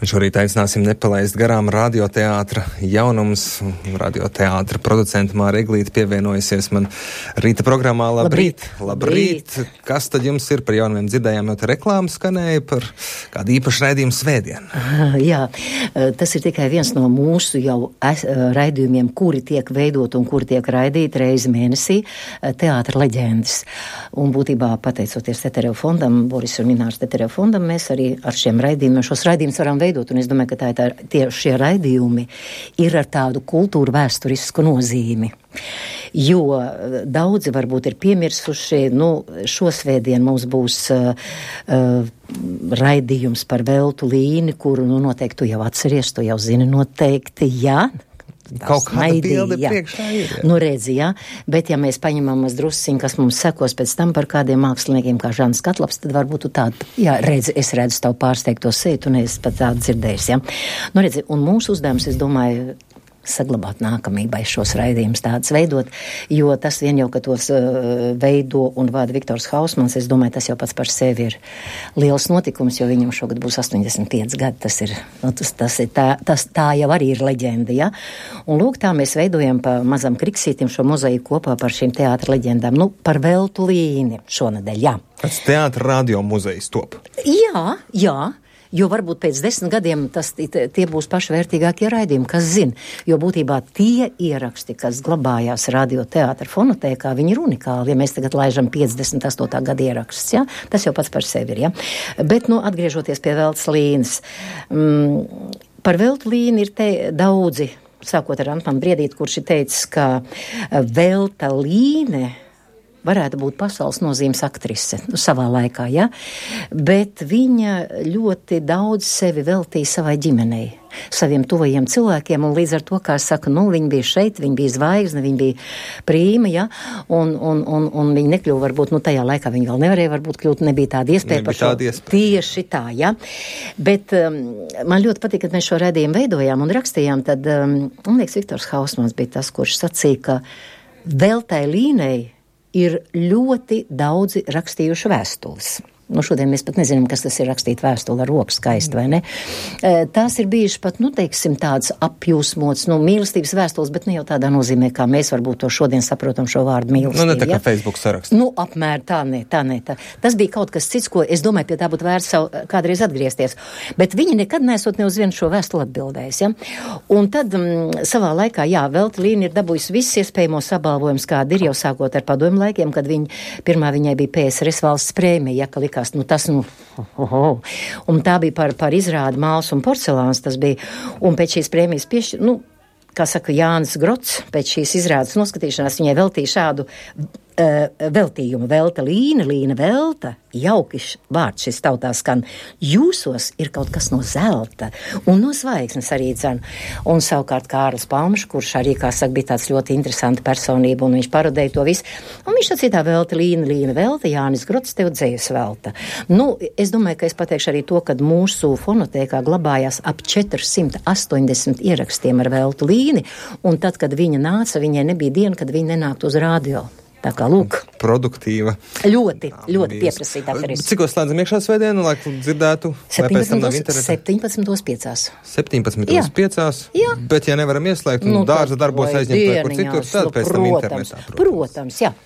Šorīt aicināsim nepalaist garām radioteātra jaunums. Radioteātra producenta Māra Eglīte pievienojusies man rīta programmā. Labrīt! Labrīt! Kas tad jums ir par jaunumiem? Dzirdējām, jau te reklāmas skanēja par kādu īpašu raidījumu svētdien. Jā, tas ir tikai viens no mūsu jau raidījumiem, kuri tiek veidot un kuri tiek raidīti reizi mēnesī, teātra leģendas. Un būtībā pateicoties Tetereva fondam, Boris un Minārs Tetereva fondam, mēs arī ar šiem raidījumiem, šos raidījumus varam veidot, un es domāju, ka šie raidījumi ir ar tādu kultūru vēsturisku nozīmi. Jo daudzi varbūt ir piemirsuši, šo svētdienu mums būs raidījums par Veltu Līni, kuru noteikti tu jau atceries, tu jau zini noteikti, jā. Kaut kāda bilde priekšā ir. Redzi, jā. Bet ja mēs paņemam drusciņu, kas mums sekos pēc tam par kādiem māksliniekiem kā Žans Katlaps, tad varbūt tu tādu, es redzu tavu pārsteigto seju, tu neesi pat tādu dzirdējis, jā. Redzi, un mūsu uzdevums, es domāju, saglabāt nākamībai šos raidījumus tādus veidot, jo tas vien jau, ka tos veido un vada Viktors Hausmans, es domāju, tas jau pats par sevi ir liels notikums, jo viņam šogad būs 85 gadi, tā jau arī ir leģenda, ja? Un lūk, tā mēs veidojam pa mazam kriksītim šo mozaiku kopā par šīm teātra leģendām, par Veltu Līni šonedēļ, jā. Pēc teātra radio muzejs top. Jā. Jo varbūt pēc 10 gadiem tie būs pašvērtīgākie raidījumi, kas zina. Jo būtībā tie ieraksti, kas glabājās radioteātra fonotēkā, viņi ir unikāli. Ja mēs tagad laižam 58. gada ieraksts, ja? Tas jau pats par sevi ir. Ja? Bet, atgriežoties pie Veltas Līnes. Par Veltu Līni ir daudzi, sākot ar Antmanu Briedīti, kurš ir teicis, ka Velta Līne varētu būt pasaules nozīmes aktrise savā laikā, ja? Bet viņa ļoti daudz sevi veltīja savai ģimenei, saviem tuvajiem cilvēkiem, un līdz ar to, kā es saku, viņa bija šeit, viņa bija zvaigzne, viņa bija prīma, ja? Un viņa nekļuva varbūt, tajā laikā viņa vēl nevarēja varbūt kļūt, nebija tāda iespēja par šo. Tieši tā, ja? Bet man ļoti patīk, kad mēs šo raidījumu veidojām un rakstījām, tad, man liekas, Viktors Hausmans bija tas, kurš sacīja, ka Veltai Līnei ir ļoti daudzi rakstījuši vēstules. Šodien mēs pat nezinām, kas tas ir rakstīt vēstuli ar roku skaisti, vai ne? Tās ir bijušas pat, teiksim, tādas apjūsmotas, mīlestības vēstules, bet ne jau tādā nozīmē, kā mēs varbūt to šodien saprotam šo vārdu mīlestību. Ne tā kā Facebook saraksts. Apmēr tā. Tas bija kaut kas cits, ko es domāju, pie tā būtu vērts kādreiz atgriezties. Bet viņi nekad nesot ne uz vienu šo vēstuli atbildējis, ja? Un tad savā laikā, Velta Līna ir dabūjusi visus iespējamos apbalvojumus, kādi ir jau sākot ar padomju laikiem, kad pirmā viņai bija PSRS valsts prēmija, ja, ka likās, un tā bija par izrādi Māls un porcelāns, tas bija, un pēc šīs prēmijas kā saka Jānis Grots, pēc šīs izrādes noskatīšanās viņai veltīja šādu veltījumu. Velta Līna, Līna Velta, jauki vārds šis tautā skan. Jūsos ir kaut kas no zelta un no zvaigznes arī dzen. Un savukārt Kārlis Palmšs, kurš arī, kā saka, bija tāds ļoti interesanta personība, un viņš parodēja to visu. Un viņš sacītā Velta Līna, Līna Velta, Jānis Grots, tev dzējas velta. Es domāju, ka es pateikšu arī to, kad mūsu fonotēkā glabājās ap 480 ierakstiem ar Veltu Līni, un tad, kad viņa nāca, viņai nebija diena, kad viņa nenāktu uz radio. Tā kā, lūk. Produktīva. Ļoti pieprasītā karīs. Cikos slēdzam iekšā svētdienu, lai dzirdētu? 17.5. 17.5. Jā. Bet, ja nevaram ieslēgt, dārza darbos aizņemt vai kur citur, tad pēc tam internetā. Protams, jā.